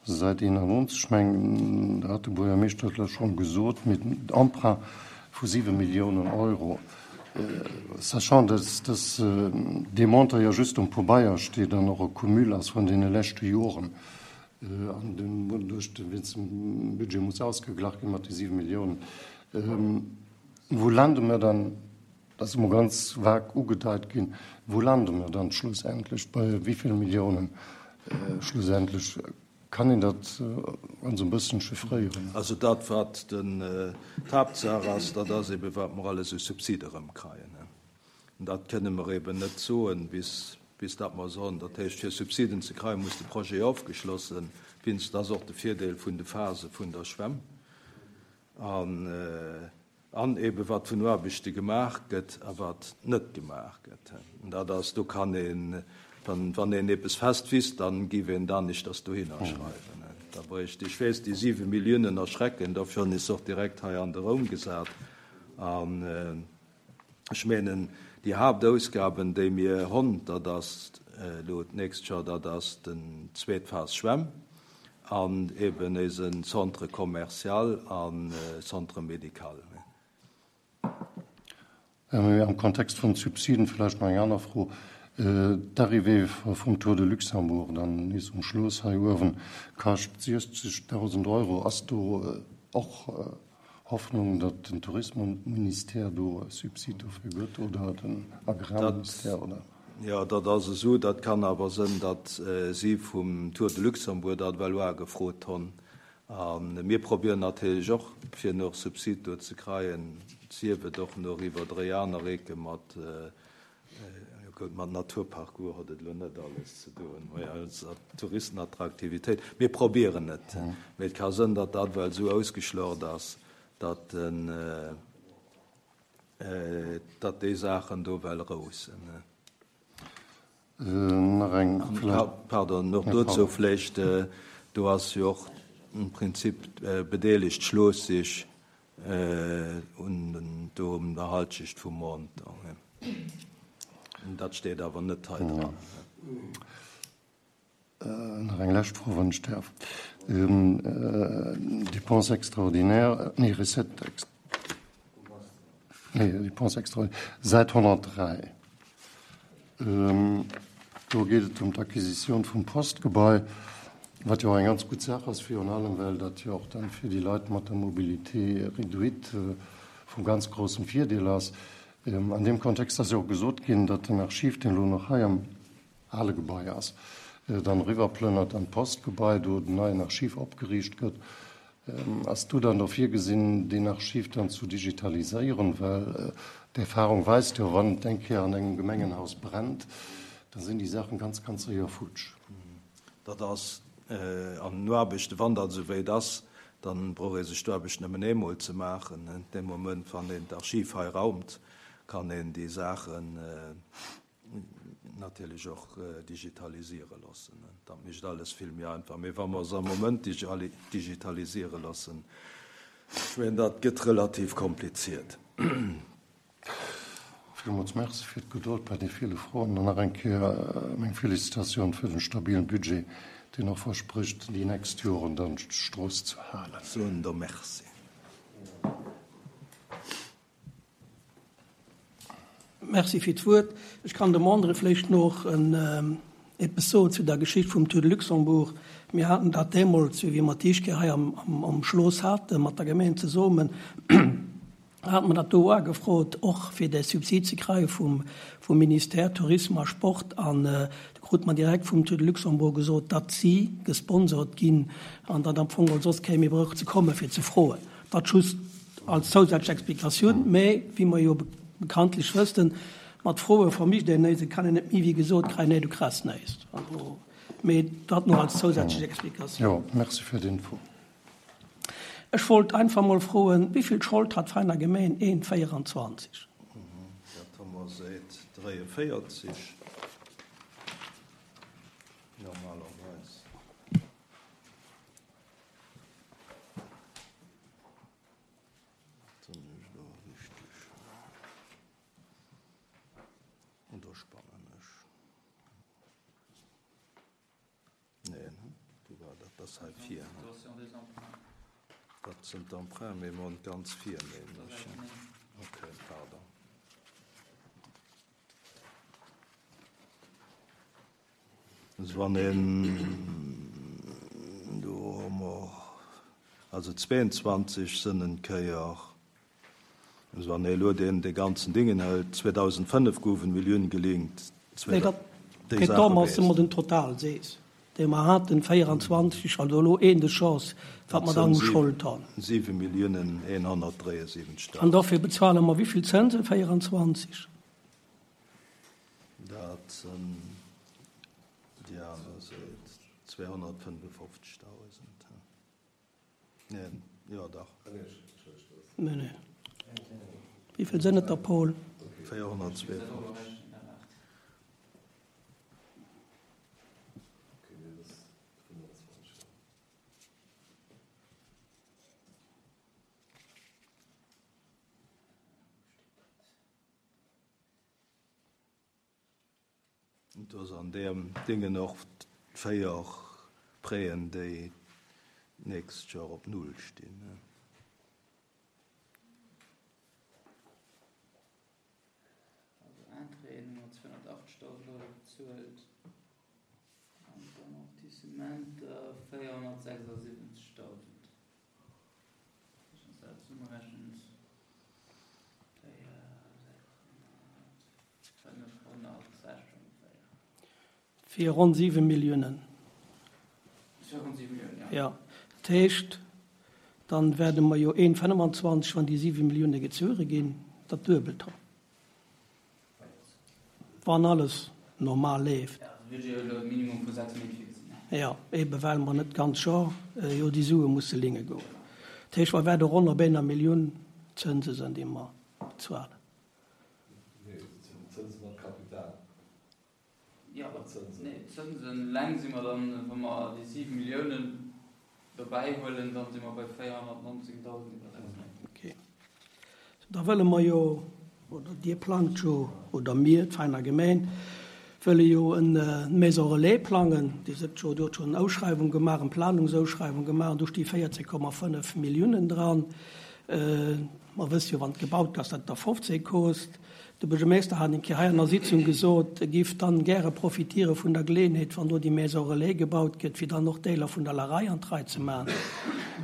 Säit eenannonzeg, ech mengen, dat hat de Buergermeeschter elo schonn gesot, mit Emprunt vu siwe Milliounen Euro, sachant dass dass dee Montant jo just um Pabeier steet an och e Cumul ass vun deene leschte Joren an den duerch de wéinst dem Budget muss ausgeglach gi mat de siwe Milliounen. Wou lande mer dann, dat ass emol ganz vag ugedeit ginn, wou lande mer dann schlussendlech, bei wéi vill Milliounen schlussendlech? Kann een dat ganz e bëssen chiffréieren? Also dat, wat d'Haaptsaach ass, dat ass eben, wat mer alles u Subside erëmkreien. An dat kënne mer eben net soen, bis, bis dat mer soen. Dat heescht, fir Subsiden ze kreien, muss de Projet ofgeschlossen ginn. Dat ass och de Virdeel vun de Phase vun der Schwämm. An, an ebe wat vun Aarbechte gemaach gëtt a wat net gemaach gëtt. An dat ass, do kann een, wann, wann een eppes fest wisst, dann giff een dat aneschters dohinner schreiwen. Da bréicht, ech weess, déi siwe Milliounen erschrecken, dofir hunn ech se och direkt hei an de Raum gesat. An ech menen, déi Haaptausgaben, déi mir honn, dat ass elo d'nächst Joer, dat ass den zweet Phas Schwämm an eben eisen Centre commercial an Centre médical. Am Kontext vun Subsiden vläicht nach eng aner Fro. D'Arrivée vum Tour de Luxembourg dann nees um Schloss hei uewen kascht siechzegdausend Euro. Ass do och Hoffnung, datt den Tourismusministère do e Subsid dofir gëtt oder den Agrarministère oder? Jo, dat ass esou. Dat kann awer sënn, datt si vum Tour de Luxembourg dat well uagefrot honn. A mir probieren natierlech och, fir nach Subsid do ze kreien, sief et och nach iwwer dréi aner Ecke mat, jo gutt, mat Naturparcours huet et elo net alles ze doen, mä Touristenattraktivitéit. Mir probieren et, mä et ka sënn, datt dat well esou ausgeschlocht ass, datt den, datt déi Saachen do well roussen. Nach eng vläicht. Pardon, och dozou vläicht, do ass jo och im Prinzip bedeelegt d'Schloss sech un do um der Halschecht vum Montant. Dat steet awer net hei dran. Nach eng lescht Fro, wann ech däerf. Dépenses extraordinaires, nee, Recettes, nee, Dépenses extraordinaires, Säit honnertdräi. Do geet et ëm d'Acquisitioun vum Postgebai, wat jo och eng ganz gutt Saach ass, virun allem well dat jo och dann fir déi Leit mat der Mobilité réduite vu ganz groussem Virdeel ass. An deem Kontext ass jo och gesot ginn, datt den Archiv, deen elo nach hei am ale Gebai ass, dann eriwwerplënnert an d'Postgebai, do den neien Archiv opgeriicht gëtt. Ass do dann och virgesinn, deen Archiv dann zu digitaliséieren? Well d'Erfahrung weist jo, wann et eng Kéier an engem Gemengenhaus brennt, da sinn déi Saachen ganz, ganz séier futsch. Dat ass an den Aarbechten, wann dat esou wéit ass, da brauch ee sech d'Aarbecht nëmmen eemol ze maachen. Dee Moment, wann een d'Archiv hei raumt, kann een déi Saachen natierlech och digitalisiere loossen. Dat mécht alles vill méi einfach. Mee wa mer se am Moment digitalisiere loossen, ech mengen, dat gëtt relativ kompliziert. Villmools Merci fir d'Gedold bei de ville Froen an nach eng Kéier meng Felicitatioun fir den stabilen Budget, deen och versprécht, déi nächst Joren dann d'Strooss ze halen. Soen der Merci. Merci fir d'Wuert. Ech kann dem André vläicht nach eppes soen zu der Geschicht vum Tour de Luxembourg. Mir haten dat deemools, wéi mer d'éischt Kéier hei am Schloss haten, mat der Gemeng zesummen, hate mer dat do agefrot, och fir de Subsid ze kréie vum Ministère Tourisme a Sport. An do krute mer direkt vum Tour de Luxembourg gesot, datt si gesponsort ginn an datt am Fong geholl soss kee méi brauch ze komme fir ze froen. Dat just als zousätzlech Explikatioun. Mä wéi mer jo bekanntlech wëssen, mat Froe vermischt een néist, et kann een net méi wéi gesot kréien, nee, du kriss néist. Also, mee dat nach als zousätzlech Explikatioun. Jo, merci fir d'Info. Ech wollt einfach mol froen, wéi vill Schold hat d'Veiner Gemeen een véieranzwanzeg? Dat hu mer säit dräienvéierzeg normalerweis. Oder spannen ech? Nee, ne? Du war dat? Dat ass hei vir. Dat sinn d'Emprunts, mee mer hunn ganz vir, nämlech. Okay, pardon. Also wann een do hu mer also zweeënzwanzeg sënn en Kéier, also wann ee elo deen dee ganzen Dingen hëlt, zweedausendfënnef goufen Millioune gelinkt. Nee, dat déi Sache weess. Mer den Total sees, dee mer haten, véierundzwanzeg, also elo een de Chance, wat mer dann u Schold han. Siwe Milliounen eenhonnertdräiundsiwwenzegtausend. An dofir bezuele mer wéi vill Zënsen? Véierundzwanzeg. Dat sinn, déi aner Säit, zweehonnertfënnefundfofzegtausend. Neen, jo dach. Nee, nee. Wéi vill sinn et der, Paul? Véierhonnertzweeënfofzeg. Do ass an deem Dingen och véier Prêten, déi d'nächst Joer op Null stinn. Also Entréeën hu mer zweehonnertachtzegtausend Euro bezuelt an d'Amortissementer véierhonnertsechsundsiwwenzegtausend. Wann s dat zesummerechent, véier, sechshonnert, fënnefhonnertsechs ongeféier. Fir ronn siwe Milliounen. Fir ronn siwe Milliounen, jo. Jo. Dat heescht, dann wäerte mer jo een fënnefenzwanzeg, wann déi siwe Millioune gezuere ginn, dat Duebelt hunn. Wann alles normal leeft. Jo, de Budget huet elo e Minimum vu sechs Méint virgesinn. Jo, ebe well mer net d'ganz Joer jo déi Sue musse linge goen. Dat heescht, mer wäerte ronn op enger Millioun Zënse sinn, déi mer bezuelen. Nee, dat sinn Zënsen op Kapital. Jo, nee, d'Zënsen eleng si mer dann, wa mer déi siwe Milliounen dobäi huelen, dann si mer bei véierhonnertnonzéngdausend iwwer sechs Méint. Okay. Da wëlle mer jo, oder Dir plangt jo, oder mir, d'Veiner Gemeng, wëlle jo en Maison Relais plangen. Dir sëtt jo, Dir hutt schonn en Ausschreiwung gemaach, eng Planungsausschreiwung gemaach, an do sti véierzéng Komma fënnef Milliounen dran. Mer wësse jo, wann et gebaut ass, datt et der fofzéng kost. De Buergermeester hat eng Kéier hei an der Sitzung gesot, e giff dann gäre profitiere vun der Geleeënheet, wann do déi Maison Relais gebaut gëtt, fir dann och Deeler vun der Larei an d'Rei ze maachen.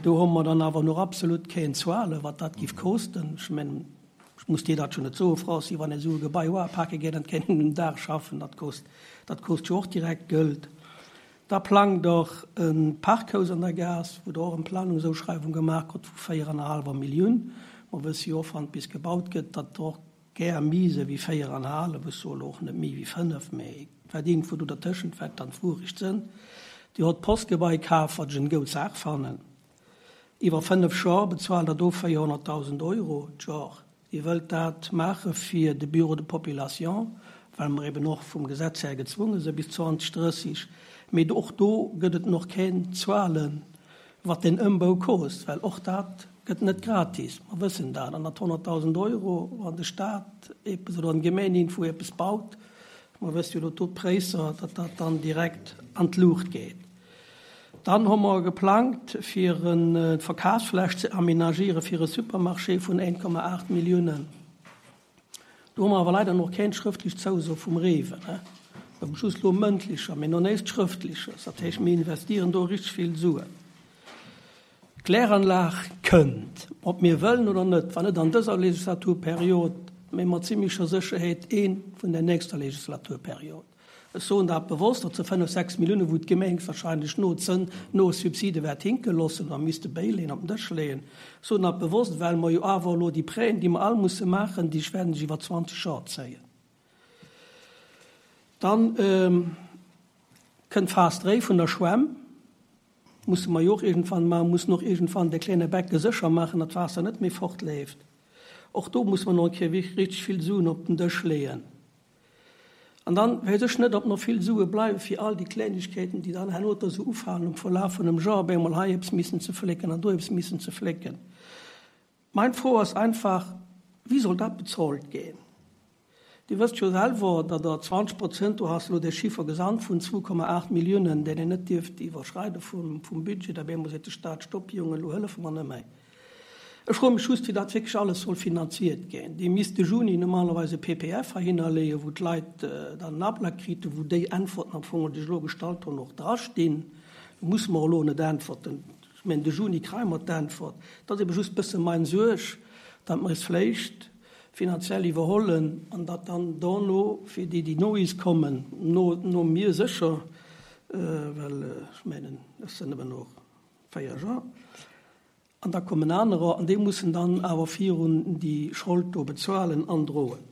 Do hu mer dann awer nach absolut keen Zuele, wat dat giff kosten. Ech mengen, ech muss dir dat jo net soen, Franci, wann ee esou e Gebai uapake geet an et kéint een en Dag schaffen, dat kost, dat kost jo och direkt Gëld. Da plangt och e Parkhaus an der Gaass, wou der och eng Planungsausschreiwung gemaach krut vu véier an e hallwer Millioun. Mer wësse jo och, wann et bis gebaut gëtt, datt och gär méi se wéi véier an e hallef, ech soe lo och net méi wéi fënnef, mä wat iergendwou do dertëschent wäert dann d'Wuerecht sënn. Dir hott d'Postgebai kaf, wat ech eng goud Saach fannen. Iwwer fënnef Jor bezuelt Der do véierhonnertdausend Euro d'Jor. Dir wëllt dat maache fir de Bureau de population, well mer eben och vum Gesetz här gezwunge si bis zwanzeg drësseg. Mee och do gëtt et noch keng Zuelen, wat deen Ëmbau kost, well och dat gëtt net gratis. Mer wëssen dat. An dat honnertdausend Euro, wann de Staat eppes oder eng Gemeng iergendwou eppes baut, mer wësse jo elo do d'Präisser, datt dat dann direkt an d'Luucht geet. Dann hu mer geplangt, fir e Verkafsfläch ze aménagiere fir e Supermarché vun een Komma aacht Milliounen. Do hu mer awer leider nach keng schrëftlech Zouso vum Rewe. Mir hu just elo mëndlecher, mee nach näischt Schrëftleches. Dat heescht, mir investieren do richteg vill Suen. D'Kläranlag kënnt, ob mir wëllen oder net, wann net an dëser Legislaturperiod, mee mat zimlecher Sécherheet ee vun der nächster Legislaturperiod. Ech soen dat bewosst, dat se fënnef, sechs Milliounen, wou d'Gemeng wahrscheinlech no Zënn, no Subside wäert hinke loossen oder misste bäileeën, op den Dësch leeën. Ech soen dat bewosst, well mer jo awer elo déi Prêten, déi mer all musse maachen, déi wäerten sech iwwer zwanzeg Joer zéien. Dann kënnt d'Phas dräi vun der Schwämm. Musse mer jo och iergendwann maachen, mussen och iergendwann de kleine Becke sécher maachen, datt d'Waasser net méi fortleeft. Och do musse mer nach eng Kéier richteg vill Suen op den Dësch leeën. An dann weess ech net, ob nach vill Sue bleiwe fir all déi Klengegkeeten, déi dann herno da sou ufalen um Verlaf vun engem Joer, op eemol hei eppes missen ze flécken an do eppes missen ze flécken. Mein Fro ass einfach, Wéi soll dat bezolt ginn? Dir wësst jo selwer, datt Der zwanzeg Prozent, du has elo dee Chiffer gesannt vun zwou Komma aacht Milliounen, deen een net dierft iwwerschreide vum, vum Budget, da bemol seet de Stat, Stopp Jongen, elo hëllefe mer net méi. Ech froe mech just, wéi dat wierklech alles soll finanziert ginn. Dir misst de Juni normalerweis e P P F heihinner leeën, wou d'Leit dann en Ablack kriten, wou déi Äntwerten am Fong, déi ech elo gestallt hunn, och drastinn. Do musse mer elo net äntwerten. Ech mengen, de Juni kréie mer d'Äntwert. Dat ass ebe just e bësse mein Suerg, datt mer es vläicht finanziell iwwerhollen an datt dann dono fir déi, déi no is kommen, no, no mir sécher, well ech mengen, ech sinn eben och véier Joer, an da kommen anerer an déi mussen dann awer virun déi Schold do bezuelen an droen.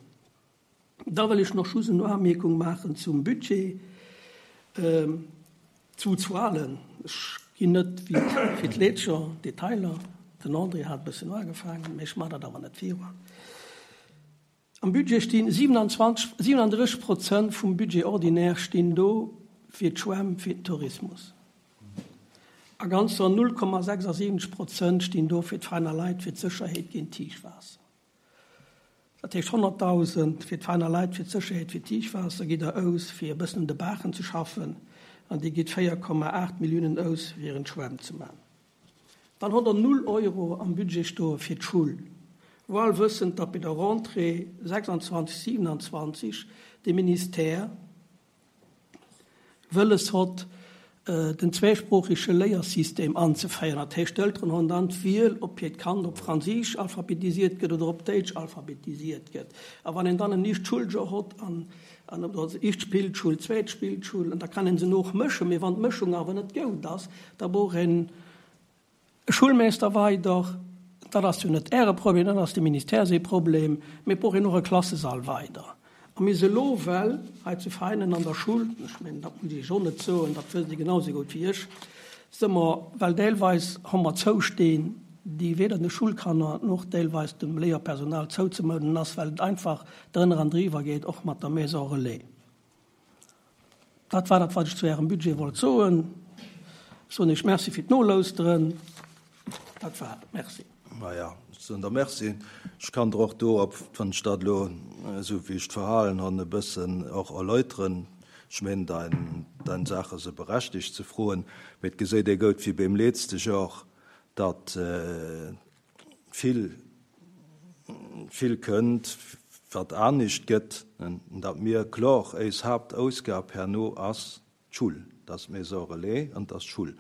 Da wëll ech noch just eng Anmerkung maachen zum Budget. Ähm, zu Zuelen. Ech ginn net wéi fir d'Leetscher Detailer. Den André hat e bëssen ugefaangen, mee ech mach dat awer net virun. Am Budget stinn siebenundzwanzig, siebenunddreißig Prozent vum Budget ordinaire stinn do fir d'Schwämm, fir den Tourismus. A ganzer null Komma sechsundsiebzig Prozent stinn do fir d'Feiner Leit, fir d'Sécherheet géint Tiefwaasser. Dat heescht hunderttausend fir d'Feiner Leit, fir d'Sécherheet fir Tiefwaasser geht da aus, fir e bëssen un de Baachen ze schaffen, an déi geht véier Komma acht Milliounen aus, fir en Schwämm ze machen. Dann hat er null Euro am Budget stoen fir d'Schull. Wohl wëssend, datt bei der Rentrée sechsundzwanzig, siebenundzwanzig de Ministère wëlles hot, äh, den zweisprachige Lehrsysteem anzufeiern. Dat heescht, d'Elteren hunn dann d'Wiel, ob hiert Kand op Franséisch alphabetisiert gëtt oder op Däitsch alphabetisiert gëtt. A wann een dann en nicht Schuljour hot, an, an op der éischt Spillschul, zweet Spillschul, an da kann een se noch mëschen, mee wann d'Mëschung awer net goud ass, da brauch een e Schulmeister weider. Dat ass jo net Äre Problem, dat ass de Ministère säi Problem, mee brauch een och e Klassesall weider. A mir se lo well, hei zu Veinen an der Schul, ech mengen, dat muss ich och net soen, dat wësst Dir genauso gut wéi ech, si mer, well deelweis hu mer Zoustehn, déi weder de Schulkanner noch deelweis dem Léierpersonal zouzemouden ass, well et einfach drënner an driwwer geet, och mat der Maison Relais. Dat war dat, wat ich zu Ärem Budget wollt soen. Ech soen Iech Merci fir d'Nolauschteren. Dat war et. Merci. Naja, ich soen der Merci. Ich kann doch do, ob wann ich dat lo, so wie ich d'Verhalen han, e bëssen och erläutern. Ich mein, dein, dein Sache se berechtigt ze froen. Mit geséit dir gout wie beim letzten Jahr, dat, äh, viel, viel könnt, wat anischt gëtt, dat mir klar eis Hauptausgab herno ass d'Schul, das Maison Relais und das Schul.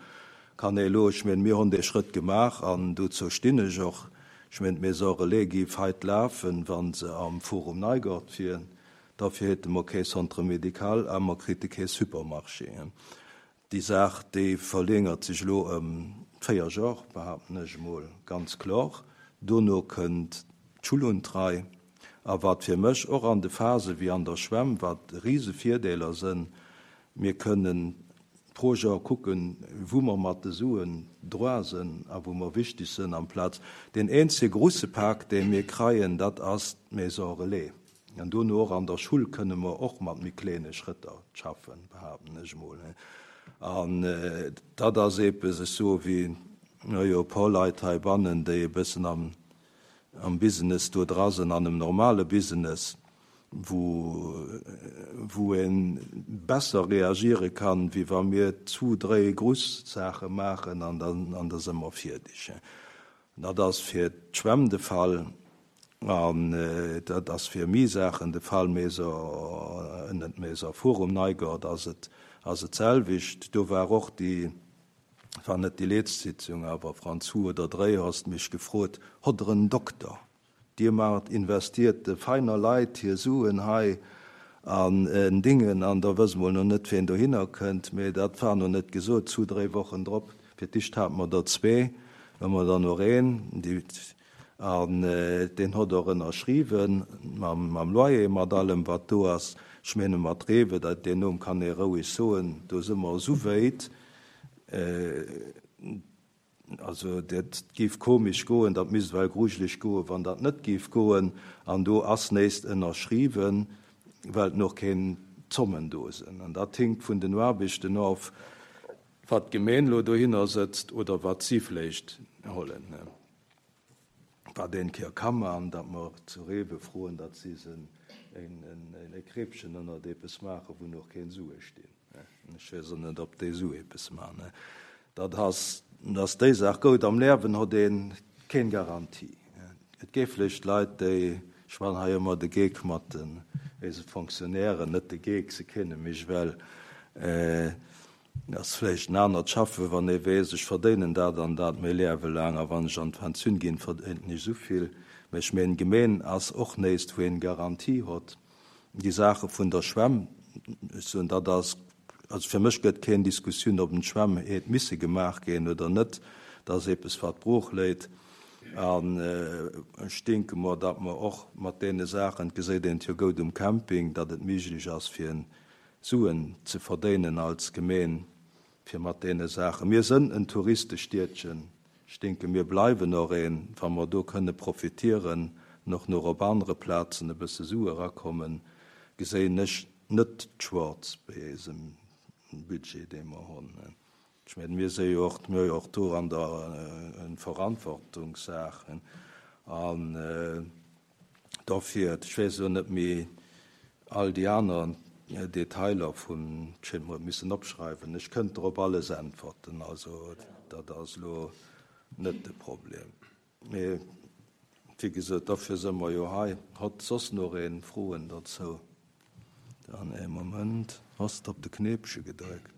Kann ee lo, ich mein, mir hun de Schritt gemacht an dozou stinn ech och. Ich mein, d'Maison Relais gi weit laufen, wann se am Forum Neigert fieren. Dafür hätte man kein Centre médical, aber man kriegt kein Supermarché. Die Sache, die verlängert sich lo um vier Jahre, behaupten ich mal ganz klar. Dono könnt d'Schul und drei. Aber wat fir mech och an de Phase wie an der Schwämm, wat riese Virdeeler sinn, mir können pro Jahr gucken, wo wir mat de Suen droit sinn a wo wir wichtig sinn am Platz. Den einzige große Park, den wir kreien, dat ass d'Maison Relais. An do nur an der Schul können wir och mat mi kleine Schritter schaffen, behaupten ich mal. An, äh, dat ass eppes so wie, na jo, paar Leit hei bannen, déi e bëssen am, am Business do dra sinn, an einem normale Business, wo, wo een besser reagiere kann, wie wa mir zwei, drei Großsachen machen an dann, an da sind wir fertig. Na, das fir d'Schwämm de Fall an, äh, dat ass fir mi Sachen de Fall, méi so, äh, net méi so Forum Neigert, ass et, ass et selwicht. Do war och die, war net die letzte Sitzung, aber Franz Hu oder drei hast mich gefrot, hat er einen Doktor? Die macht investierte feiner Leid hier Suen hei an, äh, Dingen, an da wissen wir noch net, wen du hin könnt, mir dat war noch net gesot, zu drei Wochen drop. Für dich hat man da zwei, wenn man da noch ein, die, an, äh, den hat er unterschrieben, mam, mam Loyer, mat allem, wat du hast. Ich meine, mat Rewe, dat den Namen kann ich ruhig soen, do sind wir so weit, äh, also dat giff komisch goen, dat misst well gruselig goen, wann dat net giff goen, an do ass nächst ënnerschrieben, well noch kein Zommen do sinn. An dat hinkt vun den Aarbechten of, wat d'Gemeen lo dohinner sëtzt oder wat sie vielleicht holen. Ne? Wat den Keer kann man, dat mer zu Rewe froen, dat sie sen e Kreepchen ënnert eppes maachen, wou nach keng Sue stinn. Ech weess och net, ob déi esou eppes maachen. Dat ass, ass déi Saach. Goud, am Liewen huet ee keng Garantie. Et géif vläicht Leit, déi, ech maachen hei ëmmer de Geek mat den eise Fonctionnairen, net de Geek, se kenne mech well, ass vläicht en anert Schaffen, wann ee weess, ech verdéinen dat an dat mäi Liewe laang a wann ech an d'Pensioun ginn, verdéinen ech esou vill. Mä ech mengen, d'Gemeen ass och näischt, wou een Garantie huet. Déi Saache vun der Schwämm, ech soen, dat ass, also fir mech gëtt keng Diskussioun, ob d'Schwämm hätt misse gemaach ginn oder net. Dat ass eppes, wat brooch léit. An ech denke mer, datt mer och mat deene Saachen, et geséit een et jo goud um Camping, datt et méiglech ass, fir Suen ze verdéinen als Gemeen, fir mat deene Saachen. Mir sënn en Touristestiedchen. Ech denke, mir bleiwen och een, wa mer do kënne profitieren, och nach op anere Plazen e bësse Sue erakommen, geséien ech net schwaarz bei eisem Budget, dee mer hunn. Ech mengen, mir si jo och, mir hu jo och do an der eng Verantwortungssaach. An dofir, ech weess elo net méi all déi aner Detailer vun, ech hätt mer et missen opschreiwen, ech kënnt der op alles äntwerten, also dat ass elo net de Problem. Mee wéi gesot, dofir si mer jo hei. Hott soss nach een Froen dozou? Dann ee Moment, Has de op de Knéipche gedréckt?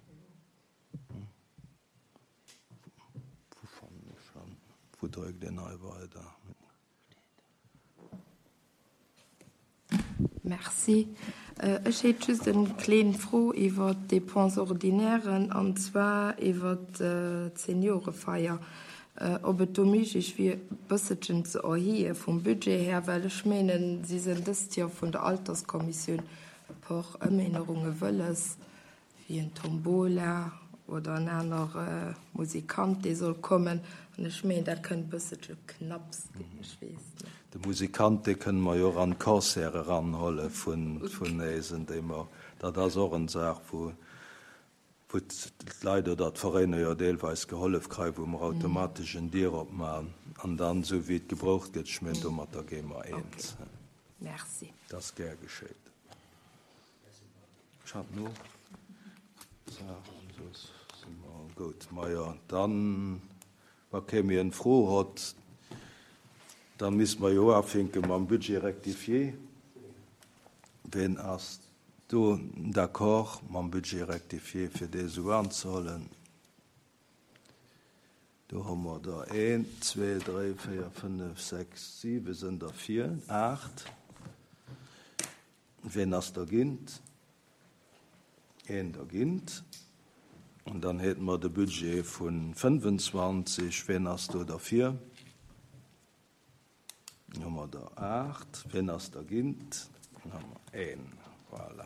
Wou fannen ech en? Wou dréckt een hei weider? Merci. Ech hätt just eng kleng Fro iwwer d'Dépenses ordinairen, an zwar iwwer d'Seniorefeier, ob et do méiglech wier, e bësselchen ze erhéije vum Budget her, well ech mengen, si sinn dëst Joer vun der Alterskommissioun e puer Ëmännerunge wëlles, wéi en Tombola oder en aner Musikant, dee soll kommen. An ech mengen, dat kënnt e bësselche knapps ginn, ech weess net. De Musikant, dee kënne mer jo och an d'Concert eranhuele vun, vun eisen, déi mer, dat ass och eng Saach, wou, wou d'Leit oder d'Veräiner jo deelweis gehollef kréien, wou mer automatesch en Dier opmachen an dann, esou wéi et gebraucht gëtt, ech mengen, domatter gi mer eens. Okay. Merci. Dat ass gär geschéit. Ech hat no Saachen, soss si mer gutt. Majo, dann, wa kee méi eng Fro hott, da misste mer jo ufänke mam Budget rectifié. Ween ass do d'accord mam Budget rectifié, fir dee sou anzehuelen? Do hu mer der een, zwee, dräi, véier, fënnef, sechs, siwe sënn derfir, aacht. Ween ass dergéint? Een dergéint. An dann hätte mer de Budget vu fënnefenzwanzeg. Ween ass do derfir? Hu mer der aacht. Ween ass dergéint? Hu mer een. Voilà.